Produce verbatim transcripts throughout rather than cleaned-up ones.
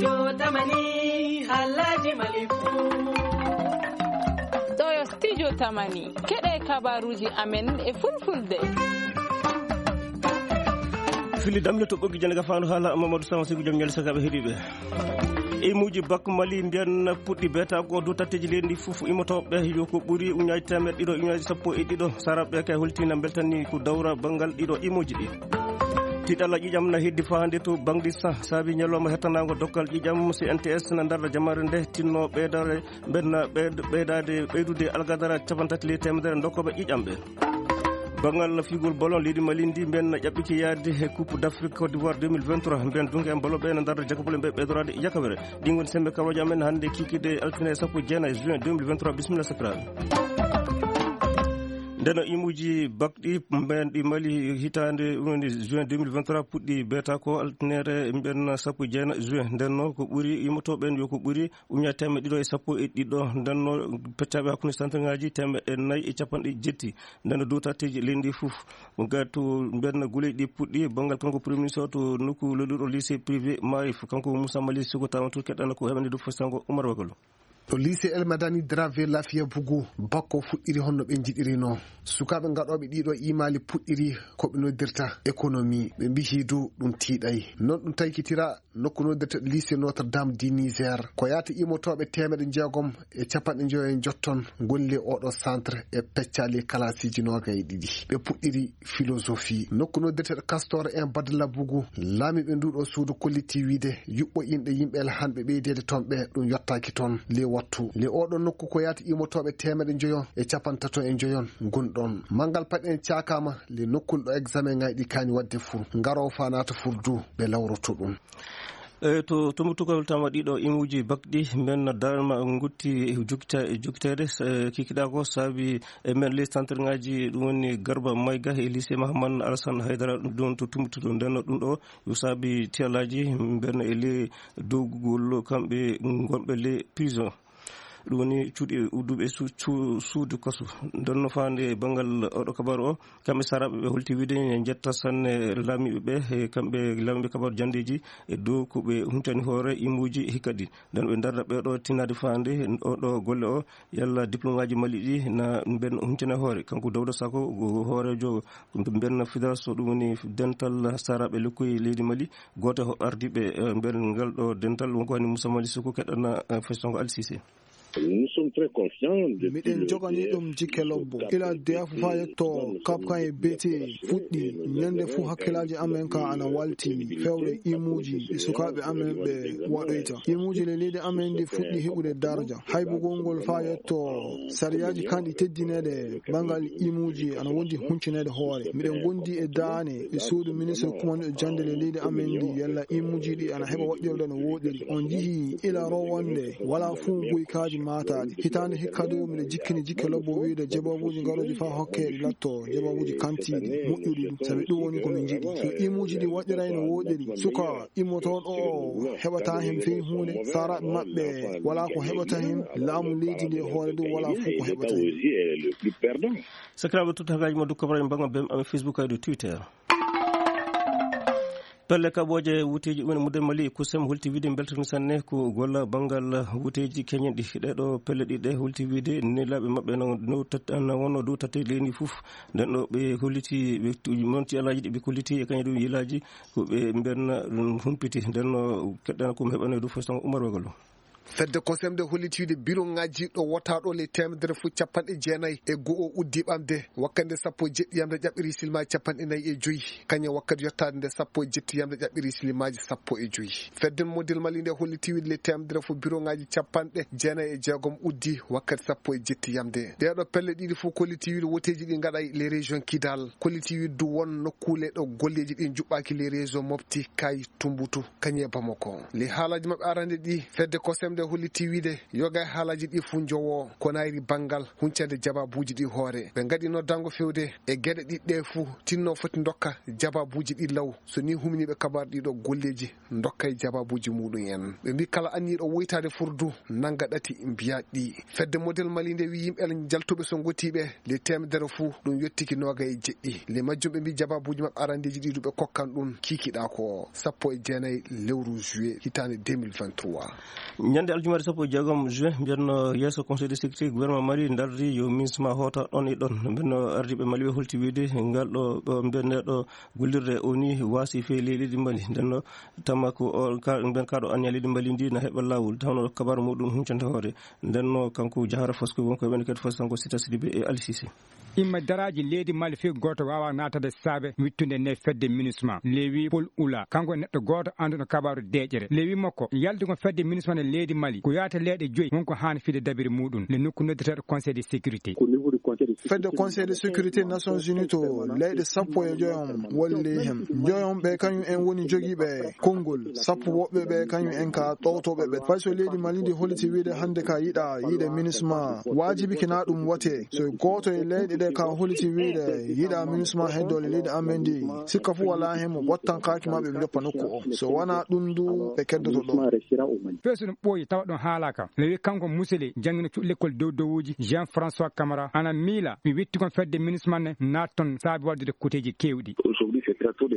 Jotamani, Alhaji Malifu. Ɗo yo Studio Tamani. Keɗe kabaruji amen e Fulfulde. Fili damle to ɓoggi jannde ka faandu haala Mamadou Sama Sigu Jom Ñaali Sakaɓe heɗiɓe. Imuji bak Mali mbiyan puɗɗi beeta ko dow tatteji leydi fof imotoɓe yo ko ɓuri uñaji temeɗɗe ɗiɗo uñaji sappo e ɗiɗo. Saraɓe kay holtina beltani ko dawra bangal ɗiɗo imuji ɗi. Tiɗalla ƴiƴam na heddi fahande to bangdi sa saabi ñalawma hettanago dokkal ƴiƴam C N T S na darda jamare nde tinno ɓeydare mbenna ɓeyd-, ɓeydade ɓeydude algadara capantati ley temedere dokkoɓe ƴiƴam ɓe. Bangal figol bolon leydi Mali ndi mbenna ƴaɓɓiki yaade he Coupe d'Afrique Côte d'Ivoire deux mille vingt-trois mben dunke en bolo ɓe na darda jakabole mbe ɓeydorade yakawere. Ɗin woni sembe karoje amen hannde kikide altine sappo e jeenayi juin deux mille vingt-trois. Bisimilla sakiraaɓe. Ndeno imuji bakɗi mben ɗi Mali hitaande woni juin deux mille vingt-trois puɗɗi beeta ko altinere mben sappo e jeenayi juin. Ndenno ko ɓuri imotoɓe en yo ko ɓuri uña temeɗɗe ɗiɗo e sappo e ɗiɗo. Ndenno peccaɓe hakkunde santirŋaji temeɗɗe nayi e capanɗe jetti. Ndenno dow tatteji leydi fof. Gatu mbenna guleeji ɗi puɗɗi banngal kanko premier ministre to nokku lolluɗo lycée privé Maarif, kanko Moussa Mali Sougou tawanto keɗɗana ko heɓande dow fof sango Oumar Wakalo. To lycée El Madani Dravé Lafia Bougou, bakko fuɗɗiri honno ɓe njiɗirino. Sukaaɓe gaɗooɓe ɗiɗo imaali puɗɗiri ko ɓe noddirta économie. Ɓe mbihi dow ɗum tiiɗay. Non ɗum taykitira nokku noddirta lycée Notre Dame du Niger. Ko yaata imotooɓe teemeɗe jeegom e capanɗe njoyo e njotton ngoni le oɗo centre e peccaali kalaasiji noogay e ɗiɗi. Ɓe puɗɗiri philosophie. Nokku noddirteɗo Castor en Badla Bougou, laamiiɓe nduɗo suudu kolliti wiide yuɓɓo inɗe yimɓe el hanɓe ɓeydeede toon ɓe ɗum yottaaki toon. Le wattu. Le oɗo nokku ko yaata imotooɓe teemeɗe njoyo e capantato e njoyon ngon ɗon. Manngal paɗe en caakaama le nokkul ɗo examen ŋayɗi kaani waɗde fur. Ngaroo faa naata fur du ɓe lawroto ɗum. E, to, to mo tugal tama ɗiɗo imuji bakɗi, men darma ngutti jukta-, jukteede, e, kikiɗa ko saabi e men les centre ngaji, ɗum woni Garba Mayga e lycée Mahaman Alassane Haydara, ɗum ɗon to tumbutuɗo. Nden ɗum ɗo, yo saabi tiyalaji, mben e le dogugol kamɓe ngonɓe le prison. Ɗum woni cuuɗi udduɓe su-, cu-, suudu kasu. Nden no faande banngal oɗo kabaru o, kamɓe saraɓe ɓe holti wiide ne njetta sanne laamiiɓe ɓe, e kamɓe laamiiɓe kabaru janndeeji e dow ko ɓe huntani hoore imuuji hikka ɗi. Nden ɓe ndarda ɓe ɗo tinnaade faande o ɗo golle o, yalla diplôme aji Mali ɗi na mben huntani hoore. Kanko Dawda Sako, ko hooreejo mben fédération, ɗum woni dental saraɓe lekkoy leydi Mali, gooto e ardiiɓe, eh, mben ngal ɗo dental, wonko woni Moussa Mali Soko keɗɗana, eh, Festongo Al Cissé. Nous sommes très confiants depuis, miɗen euh, joganii D F ɗum jikke lobbo. Ila D F faa yetto Cap kan e B T fuɗɗi, ñande fuu hakkillaaji amen ka ana walti fewre imuuji ɗi sukaaɓe amen ɓe waɗoyta. Imuuji le leydi amen ndi fuɗɗi heɓude darja. Haybugol ngol faa yetto sariyaaji kan ɗi teddineede banngal imuuji ana wondi huncineede hoore. Miɗen gondi e daane e suudu ministre kumanɗo jannde le leydi amen ndi, yalla imuuji ɗi ana heɓa waɗɗirde no wooɗiri. On njihii ila rowonde, walaa fuu guykaaji maataaɗi. Hitaande hikka du, miɗo jikkini jikke lobbo wiide jeboobuuji ngarooji faa hokke ɗi latto jeboobuuji kantiiɗi, moƴƴuɗi du. Sabi ɗum woni ko min njiɗi. So imuuji ɗi waɗɗiray no wooɗiri, suka immotooɗo o heɓataa heen fey huunde, saraaɓe maɓɓe walaa ko heɓata heen, laamu leydi ndi e hoore du walaa fuu ko heɓata heen. Sakiraaɓe, tottagaaji mo Dukko Ibrahima Banga, bem amen Facebook e dow Twitter. Pelle kaɓooje wuteeji ɗum e mudde Mali, kusem holti wiide mbeltani sanne ko golla banngal wuteeji keñen ɗi. Ɗee ɗo pelle ɗiɗi ɗe holti wiide nelaaɓe maɓɓe na, no tat-, na wonno dow tatte leydi fof. Nden ɗo ɓe holliti, ɓe tu-, monti alaaji ɗi ɓe kolliti e kañum ɗum yilaaji ko ɓe mbenna ɗum humpiti. Nden no keɗɗana ko mi heɓano e dow fof tan Oumar Wagalo. Fedde kosemde holliti wiide biro ŋajjiiɗo wotaaɗo le temedere fof capanɗe jeenayi e go'o uddi ɓamde wakkande sappo e jeɗɗi yamde ƴaɓɓiri silmaaji capanɗe nayi e joyi, kañum wakkati yottaade nde sappo e jetti yamde ƴaɓɓiri silmaaji sappo e joyi. Fedde model Mali nde holliti wiide le temedere fof biro ŋaji capanɗe jeenayi e jeegom uddi wakkati sappo e jetti yamde. Ɗee ɗo pelle ɗiɗi fof kolliti wiide woteeji ɗi ngaɗay le région Kidal, kolliti wiide du won nokkuule ɗo golleeji ɗi njuɓɓaaki le région Mopti, Kay, Tumbutu, kañum e Bamako. Le haalaaji maɓɓe arande ɗi, fedde kosem Nde holliti wiyde yoga e haalaaji ɗi fuu njowoo ko naayri banngal huncande jabaabuuji ɗi hoore. Ɓe ngaɗi noddaango fewde e geɗe ɗiɗi ɗe fuu tinno foti ndokka jabaabuuji ɗi law. So ni huminiiɓe kabaar ɗiɗo golleeji ndokkay jabaabuuji muɗum en. Ɓe mbi kala anniiɗo woytaade furdu nannga ɗati mbiyaat ɗi. Fedde Model Mali nde wi yimɓe jaltuɓe so ngotiiɓe le teemedere fuu ɗum yottiki nooga e jeɗɗi. Le majjum ɓe mbi jabaabuuji maɓɓe arandeeji ɗi duɓe kokkan ɗum kiikiɗaa ko sappo e jeenayi lewru juillet hitaande deux mille vingt-trois. Ñande aljumaare sappo e jeegom juin, mbiyanno yeeso Conseil de sécurité gouvernement Mali ndardi yo minsma hoota ɗon e ɗon. Mbenno ardiiɓe Mali ɓe holti wiyde ngal ɗo, ɗo mbiyanneɗo gollirde o ni waasi fee leydi Mali. Ndenno tamma ko o ka-, mbiyan kaɗo anniya leydi Mali ndi na heɓa laawol, tawno kabaru muɗum huncande hoore. Ndenno kanko Jahara Fasko won ko woni kadi Fasko Sita Sidibe e Ali Sise. Imma daraaji leydi Mali fii gooto waawaa naatade saabe wittunde nde fedde minusma. Lewi Paul Ula, kanko e neɗɗo gooto annduɗo kabaaru deeƴere. Lewi makko, yaltugol fedde minusma nde leydi Mali, ko yaata leyɗe joyi, won ko haani fide dabiri muɗum, le nokku noddeteeɗo Conseil de sécurité. Fedde Conseil de sécurité Nations Unies to leyɗe sappo e joyom woni ley hen. Joyom ɓe kañum en woni jogiiɓe konngol, sappo woɓɓe ɓe kañum en ka ɗowtoɓe ɓe. Fay so leydi Mali ndi holliti wiide hannde ka yiɗa yiide minusma, waajibi kina ɗum wate. So gooto e leyɗe ɗe ka holliti wiide yiɗa minusma heddo le leydi amen ndi, sikka fu wala hen mo bottankaaki ma ɓe joppa nokku o. So wana ɗum du ɓe keddoto ɗo. Fee so ɗum ɓooyi tawa ɗum haalaaka. Lewi kanko musele janngino cuɗi lekkol dow dowuuji Jean François Camara ana miila mi witti kon fedde minusma ne naat ton saabi waddude kuteeji keewɗi.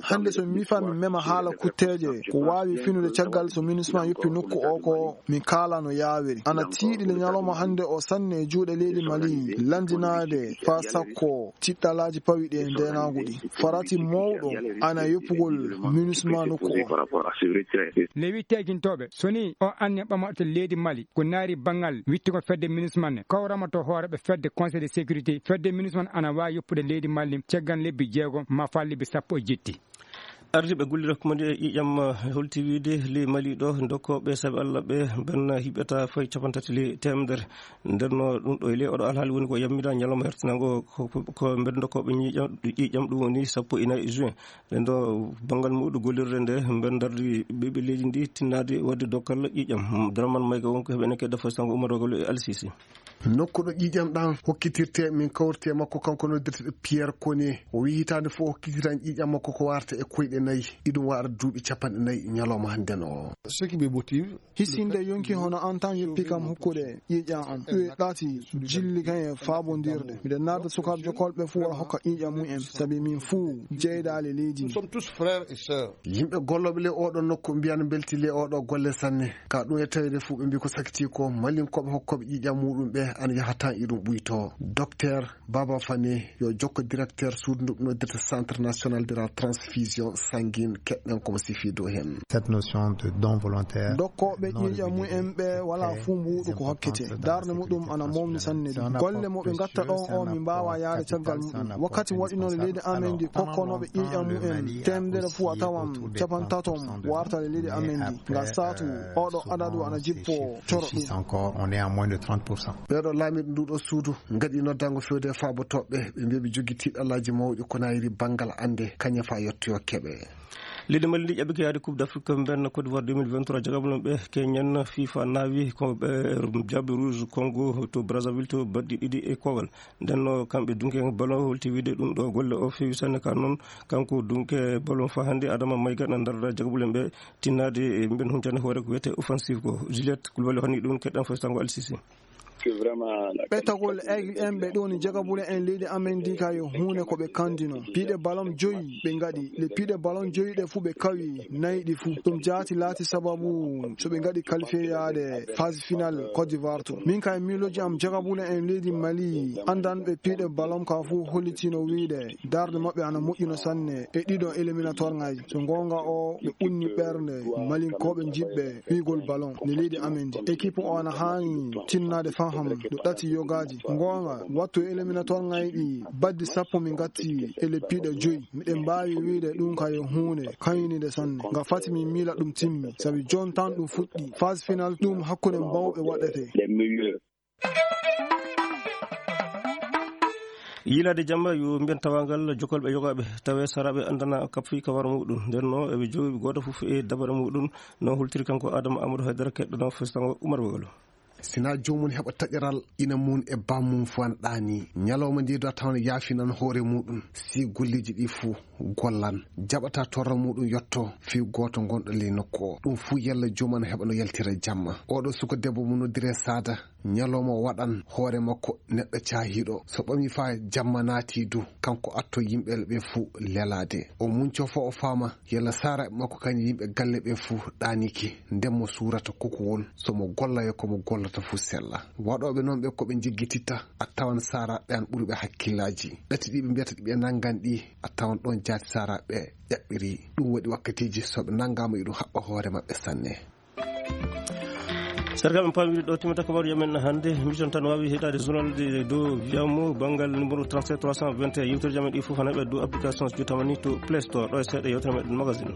Hannde so mi mifaa mi mema haala kutteeje ko waawi finude caggal so minusma yoppi nokku o ko mi kaala no yaawiri. Ana tiiɗi le ñalawma hannde o sanne e juuɗe leydi Mali lanndinaade faa sakko tiɗɗalaaji pawi ɗi e ndeenaagu ɗi. Farati mawɗo ana yoppugol minusma nokku o. Lewi teegintooɓe so ni o anniya ɓamaɗo to leydi Mali ko naari banngal wittugol fedde minusma ne kawrama to hooreɓe fedde Conseil de sécurité fedde minusma ne ana waawi yoppude leydi Mali caggal lebbi jeego ma faa lebbi sappo e jetti. Ardiiɓe gollirde ko mandi e ƴiiƴam, eh, holti wiide ley Mali ɗo, dokkooɓe sabi Allah ɓe, ɓen hiɓɓata fay cappanɗe tati ley teemedere. Nden no ɗum ɗo e ley oɗo alhaali woni ko yammida ñalawma hertinango ko, ko, ko mbeɗa dokkooɓe ƴiiƴam, ƴiiƴam ɗum woni sappo e nayi juin. Nden ɗo banngal muɗum gollirde nde, mbeɗa dardi ɓiɓɓe leydi ndi tinnaade waɗde dokkal ƴiiƴam. Abdourahmane Mayga wonko heɓene kedda fo sango Umar Rogolo e Al Sisi. Nokku ɗo ƴiiƴam ɗan hokkitirte, min kawriti e makko, kanko noddirteɗo Pierre Kone. O wi'i hitaande fof o hokkitiran ƴiiƴam makko ko warta e koyɗe nayi. Iɗum waɗa duuɓi cappanɗe nayi ñalawma hannden o. Ce qui me motive, hisinde yonki hono an tan yoppi kam hokkude ƴiiƴam am. Ɗum e ɗaati jilli kan e faabondirde. Miɗen naada sukaaɓe jokkolɓe fof wara hokka ƴiiƴam mum en. Sabi min fof jeydaale leydi ndi. Nous sommes tous frères et sœurs. Yimɓe gollooɓe le oɗo nokku mbiyan belti le oɗo golle sanne. Ka ɗum e tawede fof ɓe mbi ko sakiti ko malinkooɓe hokkooɓe ƴiiƴam muɗum ɓe ana yaha tan iɗum ɓuyto. Docteur Baba Fane yo jokko directeur suudu ndu noddirta Centre National de la Transfusion Sanguine, keɗɗen komo sifi dow hen. Cette notion de don volontaire. Dokkooɓe ƴiiƴam mumen ɓe wala fuu mbuuɗu ko hokkete. Darnde muɗum ana mawni sanne du. Golle mo ɓe ngatta ɗon o min mbaawa yaade caggal muɗum. Wakkati waɗi noon leydi amen ndi kokkonooɓe ƴiiƴam mumen teemedere fuu a tawan capantato warta e leydi amen ndi. Ngal saatu oɗo adadu ana jippo coro ɗum. Encore, on est à moins de trente pour cent. Ɓeeɗo laamiiɗo nduɗo suudu ngaɗi noddango fewde e faabotooɓe, ɓe mbi ɓe jogii tiiɗalaaji mawɗi ko nayri banngal annde kañe faa yettoyo keɓe. Leydi Mali ndi ƴaɓɓike yaade Coupe d'Afrique mbenna Côte d'Ivoire deux mille vingt-trois, jagabulon ɓe keñen FIFA naawi ko ɓe jaɓɓe Rouge Congo to Brazzaville to baɗɗi ɗiɗi e kowal. Nden no kamɓe dunke ballon holti wiide ɗum ɗo golle o feewi sanne ka noon kanko dunke ballon faa hannde Adama Mayga na ndarda jagabulen ɓe tinnaade e mben huncande hoore ko wiyetee offensive ko. Juliette Koulibaly honni ɗum keɗɗen fof sango Al Sisi. Ɓettagol aigle en ɓe ɗoni jagabule en leydi amen ndi ka yo huunde ko ɓe kandino. Piiɗe ballon joyi ɓe ngaɗi. Le piiɗe ballon joyi ɗe fuu ɓe kawi nayi ɗi fuu. Ɗum jaati laati sababu so ɓe ngaɗi qualifié yaade phase finale Côte d'Ivoire to. Min kay miiloji am jagabule en leydi Mali andanɓe piiɗe ballon ka fuu hollitino wiide darde maɓɓe ana moƴƴino sanne e ɗiɗo éliminatoire ngaji. So goonga o ɓe ɓunni ɓernde malinkooɓe jiɗɓe fiigol ballon ne leydi amen ndi. Équipe o ana haani tinnaade faham no ɗati yogaaji. Goonga, wattu e éliminatoire ngayɗi baddi sappo mi ngatti e le piiɗe joyi. Miɗen mbaawi wiide ɗum ka yo huunde kañinide sanne. Nga fati mi miila ɗum timmi. Sabi jon tan ɗum fuɗɗi. Phase finale ɗum hakkunde mbawɓe waɗete. Yiilaade jamma yo mbiyen tawaangal jokkolɓe yogaaɓe tawee saraaɓe anndana kap fii kawara muɗum. Nden no eɓe joowi gooto fof e dabare muɗum. No hultiri kanko Adama Amadou Haydara keɗɗo no festango Umar Bagalo. Sina joomum heɓa taƴaral ina mum e bammum fof ana ɗaani. Ñalawma ndi do a tawan yaafinan hoore muɗum. Si golleeji ɗi fof gollan. Jaɓata torra muɗum yotto fii gooto gonɗo ley nokku o. Ɗum fof yalla joomum ana heɓa no yaltira jamma. Oɗo suka debbo mo noddire Saada. Ñalawma o waɗan hoore makko neɗɗo caahiiɗo. So ɓami faa jamma naati du, kanko atto yimɓe ɓe fuu lelaade. O muñco faa o faama yalla saaraaɓe makko kañum yimɓe galle ɓe fuu ɗaanike. Nden mo suurata kokowol, so mo golla yo ko mo gollata fuu sella. Waɗooɓe noon ɓe ko ɓe njeggititta, a tawan saaraaɓe an ɓuri ɓe hakkillaaji. Ɗati ɗi ɓe mbiyata ɗi ɓe nanngan ɗi, a tawan ɗoon jaati saaraaɓe ƴaɓɓiri. Ɗum waɗi wakkatiiji so ɓe nanngaama iɗum haɓɓa hoore maɓɓe sanne. Sargal men paamiri ɗo timata kabaru yamen hannde. Mission tan waawi heɗaade journal de dow wiyamo banngal numéro trente-sept trois cent vingt et un. Yewtere jamen ɗi fof hana ɓe dow application so jottama ni to Play Store. Ɗo e seeɗa yewtere meɗen magazine.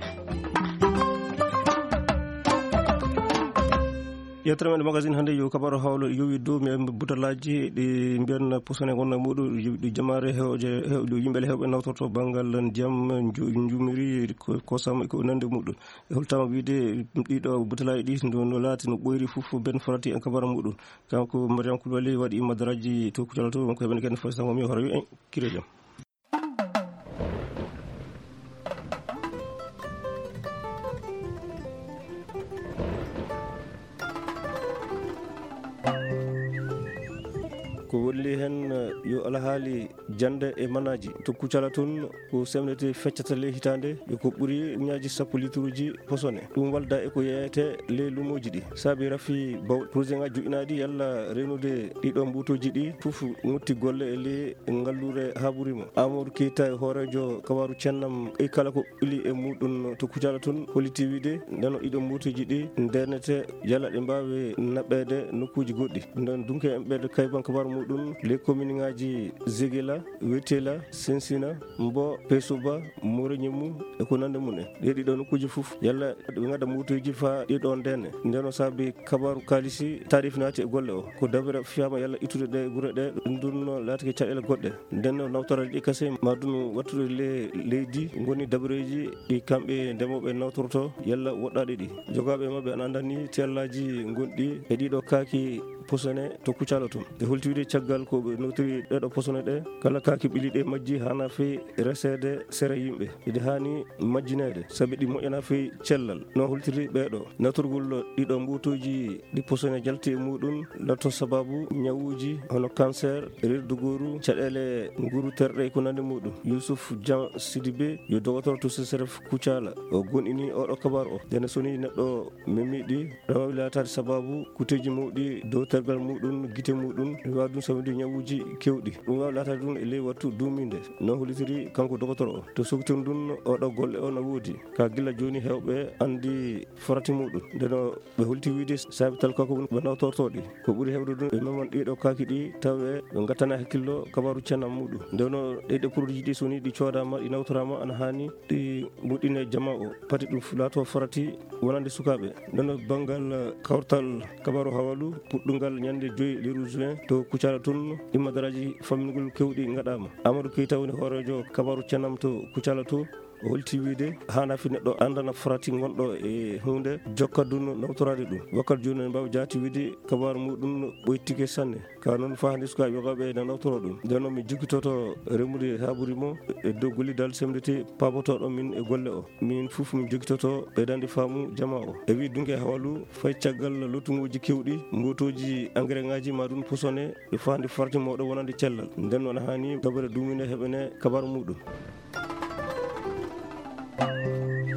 Yewtere meɗen magazine hannde yo kabaru hawlo yowi dow mi butalaaji ɗi mbiyan posone wonna muɗum ɗi jamaare hewje hew-, ɗo yimɓe hewɓe nawtorto banngal ndiyam nju-, njumiri ko, kosam ko nande muɗum. E holtama wiide ɗiɗo butalaaji ɗi no, no laati no ɓoyri fof ben farati en kabara muɗum. Kanko Mariam Koulibaly waɗi madaraaji to Kucala to, wonko heɓani ken fof sango mi hoore wi en kire jam. Ko woni hen yo alhaali jannde e manaaji to Kucala toon ko semnete feccata ley hitaande, e ko ɓuri ujunnaaji sappo lituruuji posone. Ɗum walda e ko yeeyete ley luumooji ɗi. Saabi rafi baw-, projet ŋaaji joƴƴinaaɗi yalla reenude ɗiɗo mbuutooji ɗi, fof ŋotti golle e ley ngalluure haɓuri mo. Amadou Keita e hooreejo kabaaru cennam e kala ko ɓili e muɗum to Kucala toon holliti wiide ndeno ɗiɗo mbuutooji ɗi ndeenete yalla ɗe mbaawe naɓeede nokkuuji goɗɗi. Nden dunke en ɓeeɗo kayban kabaaru muɗum ley komin ŋaaji Zegela, Wetela, Sensina, Mbo, Pesuba, Moreñemu e ko nande mum en. Ɗe ɗiɗo nokkuuji fof yalla ɓe ngadda mbuutooji faa ɗiɗo ndeene. Nden o saabi kabaaru kaalisi taarif naati e golle o. Ko dabere fiyaama yalla ittude ɗe gure ɗe, ɗum ɗum no laatike caɗeele goɗɗe. Nden o nawtoraade ɗi kase ma ɗum wattude le-, leydi ngoni dabareeji ɗi kamɓe ndemooɓe nawtorto yalla woɗɗaaɗe ɗi. Jogaaɓe maɓɓe ana anndani teellaaji gonɗi e ɗiɗo kaaki posone to Kucala toon. Nde holti wiide caggal ko ɓe notiri ɗeɗo posone ɗe, kala kaaki ɓili ɗe majji hana fii reseede sere yimɓe. Iɗe haani majjineede, sabi ɗi moƴƴana fii cellal. No holtiri ɓeeɗo, natorgol ɗiɗo mbuutooji ɗi posone jalti e muɗum, latto sababu ñawuuji hono cancer, reedu gooru, caɗeele nguru terɗe e ko nandi muɗum. Yusuf Jean Sidibé, yo dogotoro to C C R F Kucala. O gonɗini oɗo kabaru o. Ndene so ni neɗɗo memi ɗi, ɗo waawi laataade sababu kuteeji mawɗi dow tergal muɗum, gite muɗum, mi waawi ɗum sawinde ñawuuji keewɗi. Ɗum waawi laataade ɗum e ley wattu duumiinde, no hollitiri kanko dogotoro o. To sokitiri ndun, oɗo golle o no woodi. Ka gila jooni heewɓe anndi farati muɗum. Ndeno ɓe holti wiide saabi talka ko ɓe nawtorto ɗi. Ko ɓuri heewde ɗum, ɓe meman ɗiɗo kaaki ɗi, tawi ɓe ngattana hakkillo kabaru cennam muɗum. Ndeno ɗe, ɗe produit ɗi so ni ɗi coodaama, ɗi nawtoraama, ana haani ɗi moƴƴine jama o. Pati ɗum laato farati wonande sukaaɓe. Ndeno banngal kawtal kabaru hawalu, puɗɗungal ñande joy lewru juin to Kucala tun, ɗi madaraaji fammingol keewɗi ngaɗaama. Amadou Keita woni hooreejo kabaru cennam to Kucala to. O holti wiide, haana fi neɗɗo anndana farati gonɗo e huunde, jokka ɗum nawtoraade ɗum. Wakkati jooni en mbaawa jaati wiide kabaaru muɗum ɓoytike sanne. Ka noon faa hannde sukaaɓe yogaaɓe ene nawtoro ɗum. Nden noon mi jokkitoto remude haa ɓuri mo e dow gollidal semmbete paabotooɗo min e golle o. Min fof min jokkitoto ɓeydande faamu jama o. E wii dunke hawalu fay caggal lottuŋooji keewɗi, mbootooji engrais ŋaaji ma ɗum posone, ɓe faandi farati mawɗo wonande cellal. Nden noon haani dabare duuminde heɓene kabaaru muɗum.